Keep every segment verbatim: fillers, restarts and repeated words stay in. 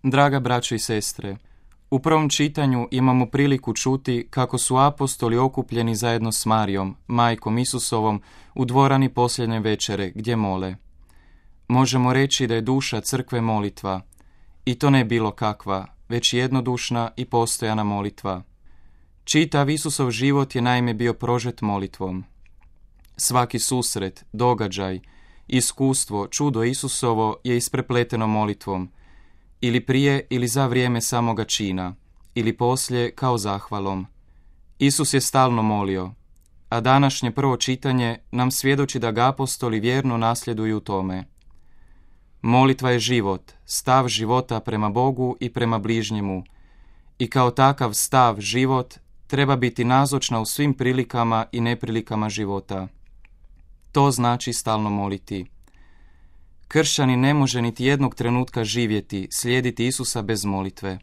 Draga braćo i sestre, u prvom čitanju imamo priliku čuti kako su apostoli okupljeni zajedno s Marijom, majkom Isusovom, u dvorani posljednje večere gdje mole. Možemo reći da je duša crkve molitva, i to ne bilo kakva, već jednodušna i postojana molitva. Čitav Isusov život je naime bio prožet molitvom. Svaki susret, događaj, iskustvo, čudo Isusovo je isprepleteno molitvom, ili prije ili za vrijeme samoga čina, ili poslije kao zahvalom. Isus je stalno molio, a današnje prvo čitanje nam svjedoči da ga apostoli vjerno nasljeduju u tome. Molitva je život, stav života prema Bogu i prema bližnjemu, i kao takav stav život treba biti nazočna u svim prilikama i neprilikama života. To znači stalno moliti. Kršćanin ne može niti jednog trenutka živjeti, slijediti Isusa bez molitve.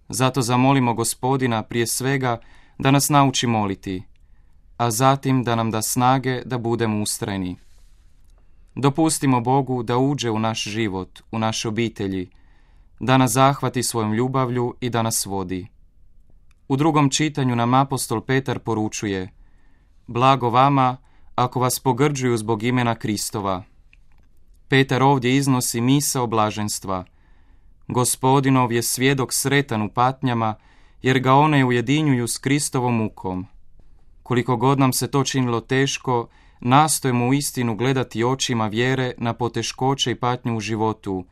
Zato zamolimo Gospodina prije svega da nas nauči moliti, a zatim da nam da snage da budemo ustrajni. Dopustimo Bogu da uđe u naš život, u naše obitelji, da nas zahvati svojom ljubavlju i da nas vodi. U drugom čitanju nam apostol Petar poručuje: blago vama ako vas pogrđuju zbog imena Kristova. Petar ovdje iznosi misao blaženstva. Gospodinov je svjedok sretan u patnjama, jer ga one ujedinjuju s Kristovom mukom. Koliko god nam se to činilo teško, nastojimo u istinu gledati očima vjere na poteškoće i patnju u životu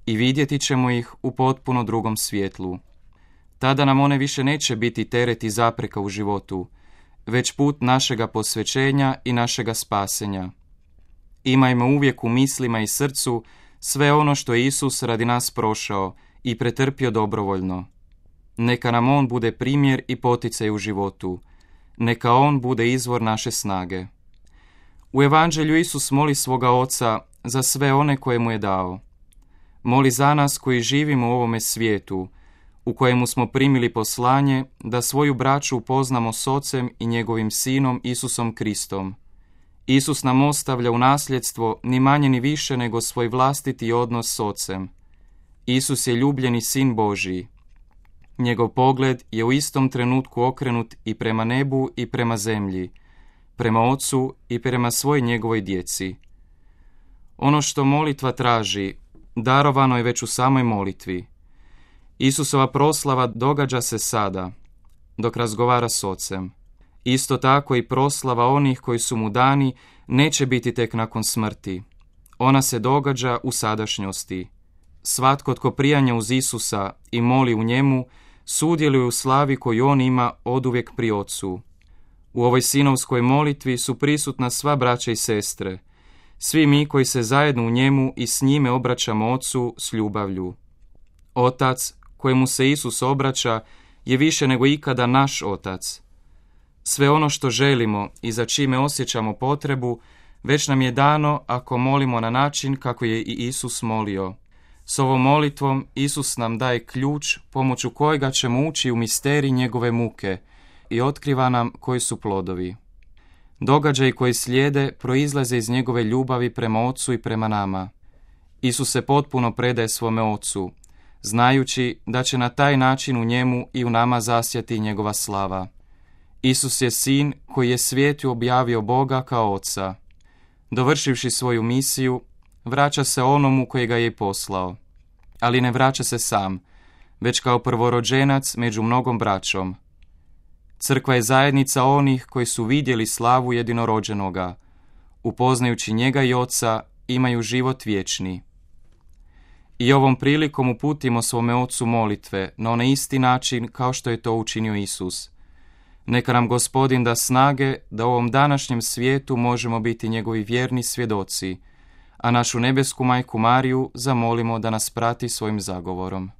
i vidjeti ćemo ih u potpuno drugom svjetlu. Tada nam one više neće biti teret i zapreka u životu, već put našega posvećenja i našega spasenja. Imajmo uvijek u mislima i srcu sve ono što je Isus radi nas prošao i pretrpio dobrovoljno. Neka nam On bude primjer i poticaj u životu. Neka On bude izvor naše snage. U Evanđelju Isus moli svoga Oca za sve one koje mu je dao. Moli za nas koji živimo u ovome svijetu, u kojemu smo primili poslanje da svoju braću upoznamo s Ocem i njegovim Sinom Isusom Kristom. Isus nam ostavlja u nasljedstvo ni manje ni više nego svoj vlastiti odnos s Ocem. Isus je ljubljeni Sin Božiji. Njegov pogled je u istom trenutku okrenut i prema nebu i prema zemlji, prema Ocu i prema svoj njegovoj djeci. Ono što molitva traži, darovano je već u samoj molitvi. Isusova proslava događa se sada, dok razgovara s Ocem. Isto tako i proslava onih koji su mu dani neće biti tek nakon smrti. Ona se događa u sadašnjosti. Svatko tko prijanja uz Isusa i moli u njemu, sudjeluje u slavi koju on ima oduvijek pri Ocu. U ovoj sinovskoj molitvi su prisutna sva braća i sestre, svi mi koji se zajedno u njemu i s njime obraćamo Ocu s ljubavlju. Otac, kojemu se Isus obraća, je više nego ikada naš Otac. Sve ono što želimo i za čime osjećamo potrebu, već nam je dano ako molimo na način kako je i Isus molio. S ovom molitvom Isus nam daje ključ pomoću kojega ćemo ući u misterij njegove muke i otkriva nam koji su plodovi. Događaji koji slijede proizlaze iz njegove ljubavi prema Ocu i prema nama. Isus se potpuno predaje svome Ocu, znajući da će na taj način u njemu i u nama zasjati njegova slava. Isus je Sin koji je svijetu objavio Boga kao Oca. Dovršivši svoju misiju, vraća se onomu koji ga je poslao. Ali ne vraća se sam, već kao prvorođenac među mnogom braćom. Crkva je zajednica onih koji su vidjeli slavu jedinorođenoga. Upoznajući njega i Oca, imaju život vječni. I ovom prilikom uputimo svome Ocu molitve na onaj isti način kao što je to učinio Isus. Neka nam Gospodin da snage da u ovom današnjem svijetu možemo biti njegovi vjerni svjedoci, a našu nebesku majku Mariju zamolimo da nas prati svojim zagovorom.